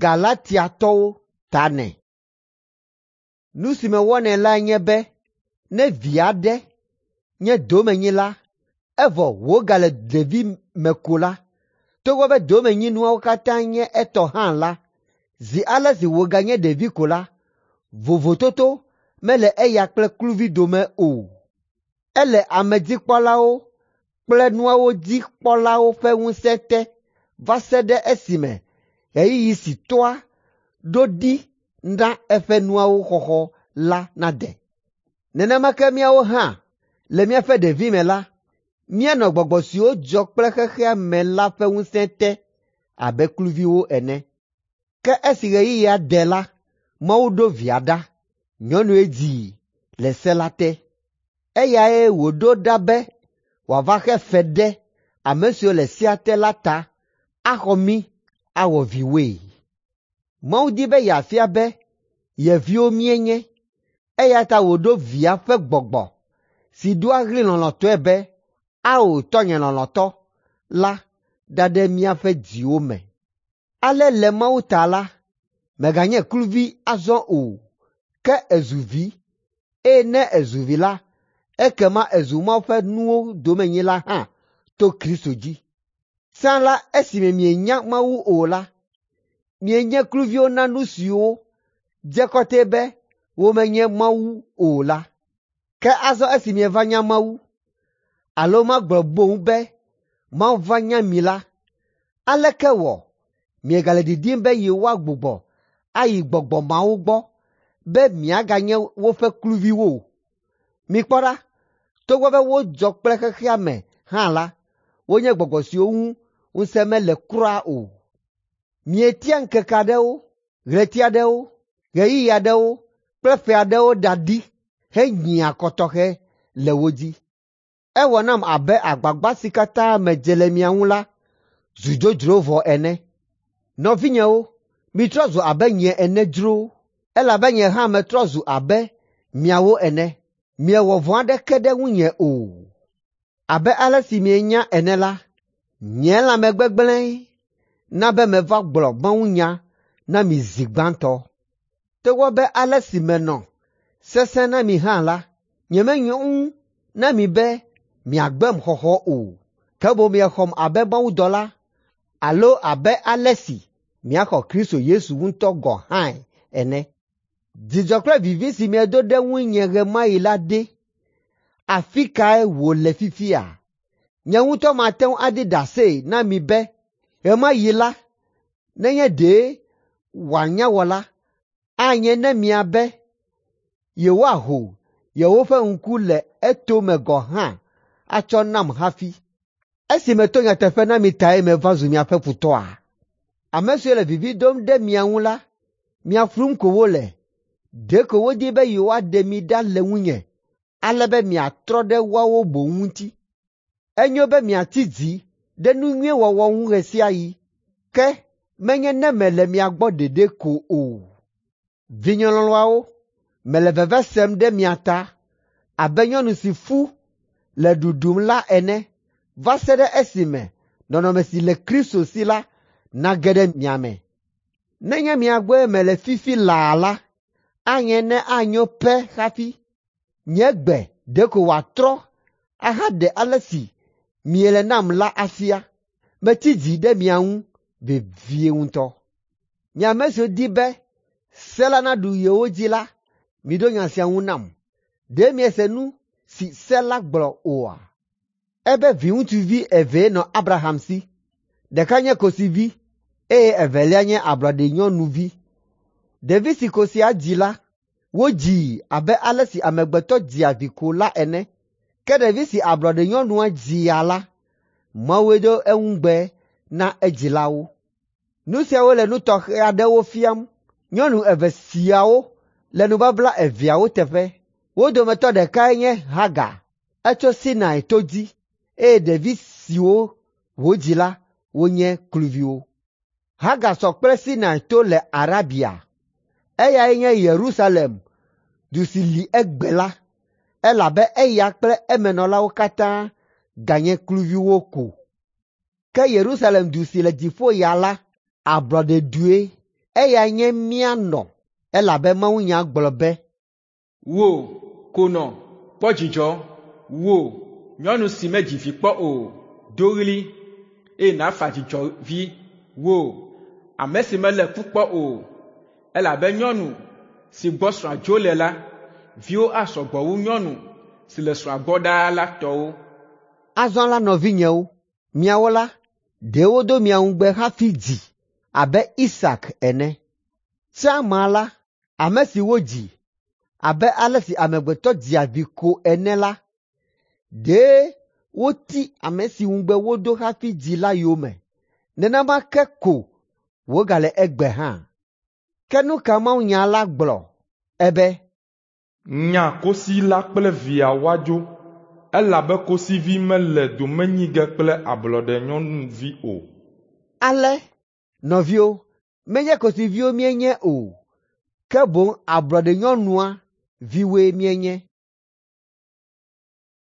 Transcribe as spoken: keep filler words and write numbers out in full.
Galatiatɔwo ta nɛ. Nu si mewɔnɛ lae nye be ne vi aɖe nye domenyila, evɔ wògale ɖevime ko la, togbɔ be domenyinuawo katã nye etɔ hã la, zi ale si wòganye ɖevi ko la, vovototo mele eya kple kluvi dome o. Ele amedzikpɔlawo kple nuawo dzi kpɔlawo ƒe ŋusẽ te va se ɖe esime ɣeyiɣi si tɔ́a ɖo ɖi na eƒe nuawo xɔxɔ la nade. Nenema ke míawo hã le míaƒe ɖevime la, míenɔ gbɔgbɔ siwo dzɔ kple xexea me la ƒe ŋusẽ te abe kluviwo ene. Ke esi ɣeyiɣia de la, Mawu ɖo Via ɖa, nyɔnue dzii le se la te. Eyae wòɖo ɖa be wòava xe fe ɖe ame siwo le sea te la ta axɔ mí awɔ viwoe. Mawu di be yeafia be ye viwo míenye, eya ta wòɖo Via ƒe Gbɔgbɔ si doa ɣli lɔlɔ̃tɔe be, “Ao, tɔnye lɔlɔ̃tɔ” la ɖa ɖe míaƒe dziwo me. Ale le Mawu ta la, mèganye kluvi azɔ o, ke èzu vi, eye ne èzu vi la, ekema èzu Mawu ƒe nuwo domenyila hã to Kristo dzi. Tsã la, esime mienya Mawu o la, mienye kluviwo na nu siwo dze kɔtɛe be womenye Mawu o la. Ke azɔ esi mieva nya Mawu, alo magblɔ boŋ be Mawu va nya mi la, aleke wɔ miegale didim be yewoagbugbɔ ayi gbɔgbɔ mawo gbɔ be miaganye woƒe kluviwo? Mikpɔ ɖa, togbɔ be wodzɔ kple xexea me hã la, wonye gbɔgbɔ siwo ŋu ŋusẽ mele kura o. Mietia ŋkeke aɖewo, ɣleti aɖewo, ɣeyiɣi aɖewo kple ƒe aɖewo da ɖi henyia akɔ tɔxɛ le wo dzi. Ewɔ nam abe agbagba si katã medze le mia ŋu la zu dzodzro vɔ ene. Nɔvinyewo, mitrɔ zu abe nye ene dzro, elabe nye hã metrɔ zu abe miawo ene. Miewɔ vɔ̃ aɖeke ɖe ŋunye o. Abe ale si mienya ene la, nye lãmegbegblẽe na be meva gblɔ mawunya na mi zi gbãtɔ. Togbɔ be ale si menɔ sesẽ na mi hã la, nyemenyo ŋu na mi be miagbem xɔxɔ o, ke boŋ miexɔm abe mawudɔla alo abe ale si miaxɔ Kristo Yesu ŋutɔ gɔ̃ hãe ene. Dzidzɔ kple vivi si miedo ɖe ŋunye ɣe ma ɣi la ɖe, afi kae wòle fifia? Nye ŋutɔ mate ŋu aɖi ɖase na mi be ɣe ma ɣi la, nenye ɖe wòanya wɔ la, anye ne miabe yewoaho yewoƒe ŋku le etome gɔ̃ hã atsɔ nam hafi. Esi meto nyateƒe na mi tae meva zu miaƒe futɔa? Ame siwo le vivi dom ɖe mia ŋu la, mia flum ko wole. Ɖeko wodi be yewoaɖe mi ɖa le ŋunye, ale be miatrɔ ɖe woawo boŋ ŋuti. Enyo be miatsi dzi ɖe nu nyui wɔwɔ ŋu ɣe sia ɣi, ke menye ne mele mia gbɔ ɖeɖe ko o. Vinye lɔlɔ̃awo, mele veve sem ɖe mia ta abe nyɔnu si fu le ɖuɖum la ene va se ɖe esime nɔnɔme si le Kristo si la nage ɖe mia me. Nenye mia gbɔe mele fifi laa la, anye ne anyo pɛ hafi. Nye gbe ɖeko wòatrɔ ahaɖe ale si miele nam la afia. Metsi dzi ɖe mia ŋu vevie ŋutɔ. Mi ame siwo di be se la naɖu yewo dzi la, miɖo nya sia ŋu nam. Ɖe miese nu si se la gblɔ oa? Ebe viŋutsuvi evee nɔ Abraham si. Ɖeka nye kosivi eye evelia nye ablɔɖenyɔnuvi. Ɖevi si kosia dzi la, wodzii abe ale si amegbetɔ dzia vi ko la ene. Ke ɖevi si ablɔɖenyɔnua dzia la, Mawue do eŋugbe na edzilawo. Nu siawo le nu tɔxɛ aɖewo fiam. Nyɔnu eve siawo le nubabla eveawo teƒe. Wo dometɔ ɖekae nye Hagar. Etso Sinai to dzi eye ɖevi siwo wòdzi la wonye kluviwo. Hagar sɔ kple Sinai to le Arabia. Eyae nye Yerusalem, du si li egbe la, elabe eya kple emenɔlawo katã ganye kluviwo ko. Ke Yerusalem du si le dziƒo ya la, ablɔɖedue, Eyae nye mía nɔ elabe mawunya gblɔ be, Wò, konɔ, kpɔ dzidzɔ. Wò, nyɔnu si medzi vi kpɔ o, do ɣli, eye nàfa dzidzɔvi. Wò, ame si melé ku kpɔ o, elabe nyɔnu si gbɔ srɔ̃a dzo le la, viwo asɔ gbɔ wu nyɔnu si le srɔ̃a gbɔ ɖaa la tɔwo. Azɔ la nɔvinyewo, miawo la, ɖe wodo mia ŋugbe hafi dzi abe Isak ene. Tsã ma la, ame si wodzi abe ale si amegbetɔ dzia vi ko ene la, ɖe woti ame si ŋugbe wodo hafi dzi la yome. Nenema ke ko wògale egbe hã. Ke nu ka mawunya la gblɔ? Ebe, Nya kosi la kple via woadzo, elabe kosivi mele dome nyi ge kple ablɔɖenyɔnuvi o. Ale, nɔviwo, menye kosiviwo míenye o, ke boŋ ablɔɖenyɔnua viwoe míenye.